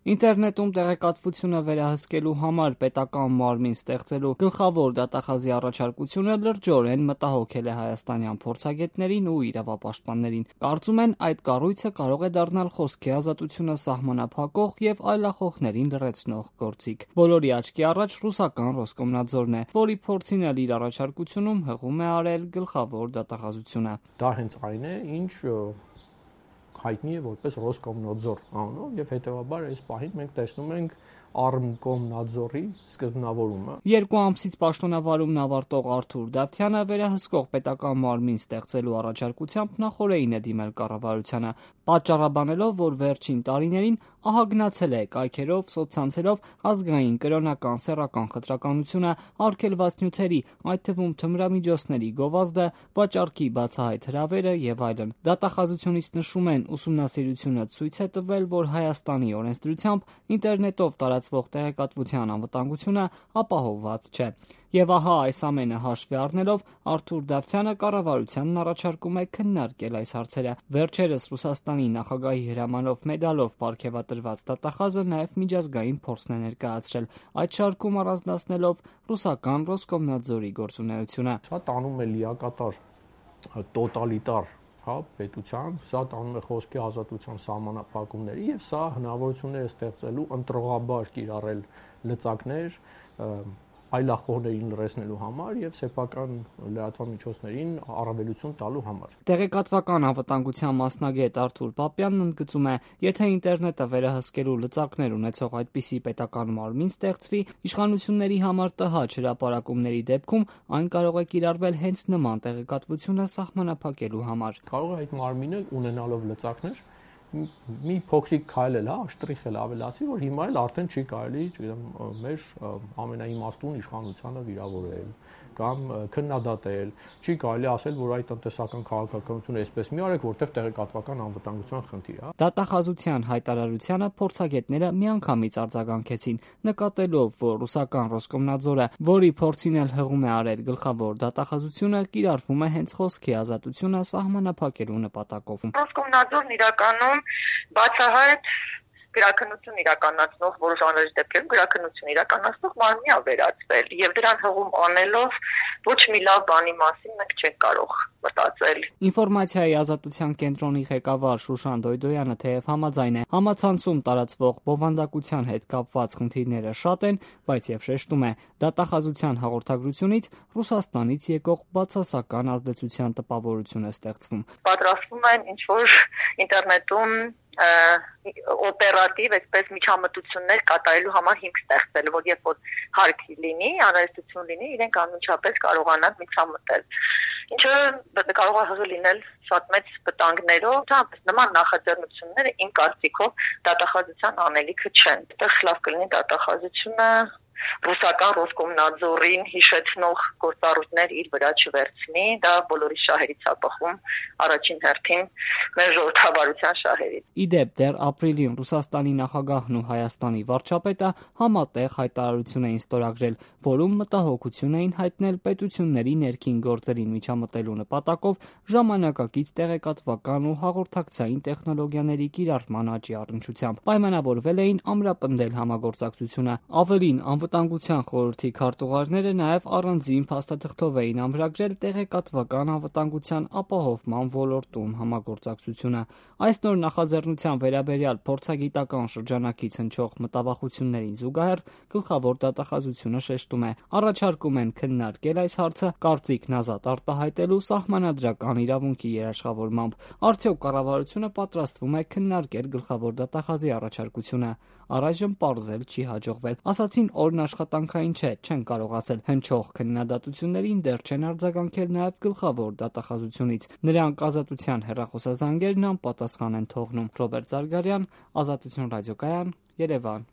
Ինտերնետում տեղեկատվությունը վերահսկելու համար պետական մարմին ստեղծելու գլխավոր դատախազի առաջարկությունը լրջորեն մտահոգել է հայաստանյան փորձագետներին ու իրավապաշտպաններին։ Կարծում են, այդ կառույցը կարող է դառնալ խոսքի ազատությունը սահմանափակող եւ այլախոհներին լրացնող գործիք։ Բոլորի աչքի առաջ ռուսական Ռոսկոմնadzորն է, որի փորձին էլ իր առաջարկությունում հղում է արել գլխավոր դատախազությունը։ Դա հենց այն է, ինչ հայտնի է որպես Ռոսկոմնadzor անունով եւ հետեւաբար այս պահին մենք տեսնում ենք Արմկոմնadzorի սկզբնավորումը։ 2 ամսից պաշտոնավարումն ավարտող Արթուր Դավթյանը վերահսկող պետական մարմին ստեղծելու առաջարկությամբ նախօրեին է դիմել կառավարությանը, պատճառաբանելով, որ վերջին տարիներին ահագնացել է կայքերով, սոցցանցերով ազգային, կրոնական, սեռական խտրականությունը, արգելված նյութերի, այդ թվում թմրամիջոցների գովազդը, վաճառքի բացահայտ հրավերը եւ այլն։ Դատախազությունից նշում են, ուսումնասիրությունը ցույց է տվել, որ Հայաստանի օրենսդրությամբ ինտերնետով տարածվող տեղեկատվության անվտանգությունը ապահովված չէ։ Եվ ահա այս ամենը հաշվի առնելով Արթուր Դավթյանը կառավարությանն առաջարկում է քննարկել այս հարցերը։ Վերջերս Ռուսաստանի նախագահի հրամանով մեդալով պարգևատրված դատախազը նաև միջազգային փորձն է ներկայացրել, այդ շարքում առանձնացնելով ռուսական Ռոսկոմնadzorի գործունեությունը։ Սա տանում է լիակատար տոտալիտար պետության, սա տանում է խոսքի ազատության սահմանափակումների եւ սա հնարավորություններ է ստեղծելու ընտրողաբար կիրառել լծակներ այլախոհներին լրացնելու համար եւ սեփական լրատվամիջոցներին առավելություն տալու համար։ Տեղեկատվական անվտանգության մասնագետ Արթուր Պապյանն ընդգծում է, եթե ինտերնետը վերահսկելու լծակներ ունեցող այդպիսի պետական մարմին ստեղծվի, իշխանությունների համար տհաճ հրապարակումների դեպքում այն կարող է կիրառվել հենց նման տեղեկատվությունը սահմանափակելու համար։ Կարող է այդ մարմինը ունենալով լծակներ մի փոքրիկ քայլ էլ, շտրիխ էլ ավելացի, որ հիմա էլ արդեն չի կարելի, չգիտեմ, մեր ամենաիմաստուն իշխանությանը վիրավորել կամ քննադատել, չի կարելի ասել, որ այդ տնտեսական քաղաքականությունը այսպես մի արեք, որտեղ տեղեկատվական անվտանգության խնդիր է։ Դատախազության հայտարարությանը փորձագետները միանգամից արձագանքեցին, նկատելով, որ ռուսական Ռոսկոմնadzorը, որի փորձին էլ հղում է արել գլխավոր դատախազությունը, կիրառվում է հենց խոսքի ազատությունը սահմանափակելու նպատակով։ Ռոսկոմնadzorն իրականում բացահայտ գրաքննություն իրականացնող որոշ անհրաժեշտ դեպքերում գրաքննություն իրականացնող մարմնի է վերածվել եւ դրան հղում անելով ոչ մի լավ բանի մասին մենք չենք կարող մտածել։ Ինֆորմացիայի ազատության կենտրոնի ղեկավար Շուշան Դոյդոյանը թեև համաձայն է, համացանցում տարածվող բովանդակության հետ կապված խնդիրները շատ են, բայց եւ շեշտում է, դատախազության հաղորդագրությունից Ռուսաստանից եկող բացասական ազդեցության տպավորություն է ստեղծվում։ Պատրաստվում են ինչ որ ինտերնետում օպերատիվ այսպես միջամտություններ կատարելու համար հիմք ստեղծել, որ երբ որ հարկ լինի, անհրաժեշտություն լինի, իրենք անմիջապես կարողանան միջամտել։ Ինչը կարող է լինել շատ մեծ վտանգներով, նման նախաձեռնությունները իմ կարծիքով դատախազության անելիքը չեն։ Այդտեղ լավ կլինի դատախազությունը ռուսական Ռոսկոմնadzorին հիշեցնող գործառույթներ իր վրա չվերցնի, դա բոլորի շահերից է բխում, առաջին հերթին մեր ժողովրդավարության շահերից։ Իդեպ դեռ ապրիլին Ռուսաստանի նախագահն ու Հայաստանի վարչապետը համատեղ հայտարարություն էին ստորագրել, որում մտահոգություն էին հայտնել պետությունների ներքին գործերին միջամտելու նպատակով ժամանակակից տեղեկատվական ու հաղորդակցային տեխնոլոգիաների կիրառման աճի առնչությամբ։ Պայմանավորվել էին ամրապնդել համագործակցությունը։ Ավելին, Անվտանգության խորհրդի քարտուղարները նաև առանձին փաստաթղթով էին ամրագրել տեղեկատվական անվտանգության ապահովման ոլորտում համագործակցությունը։ Այս նոր նախաձեռնության վերաբերյալ փորձագիտական շրջանակից հնչող մտավախություններին զուգահեռ գլխավոր դատախազությունը շեշտում է, առաջարկում են քննարկել այս հարցը կարծիքն ազատ արտահայտելու սահմանադրական իրավունքի երաշխավորմամբ։ Արդյոք կառավարությունը պատրաստվում է քննարկել գլխավոր դատախազի առաջարկությունը։ Առայժմ պարզել չի հաջողվել։ Ասացին, օրն աշխատանքային չէ, չեն կարող ասել։ Հնչող քննադատություններին դեռ չեն արձագանքել նաև գլխավոր դատախազությունից։ Նրանք ազատության հեռախոսազանգերն անպատասխան են թողնում։ Ռոբերտ Զարգարյան, Ազատություն ռադիոկայան, Երևան։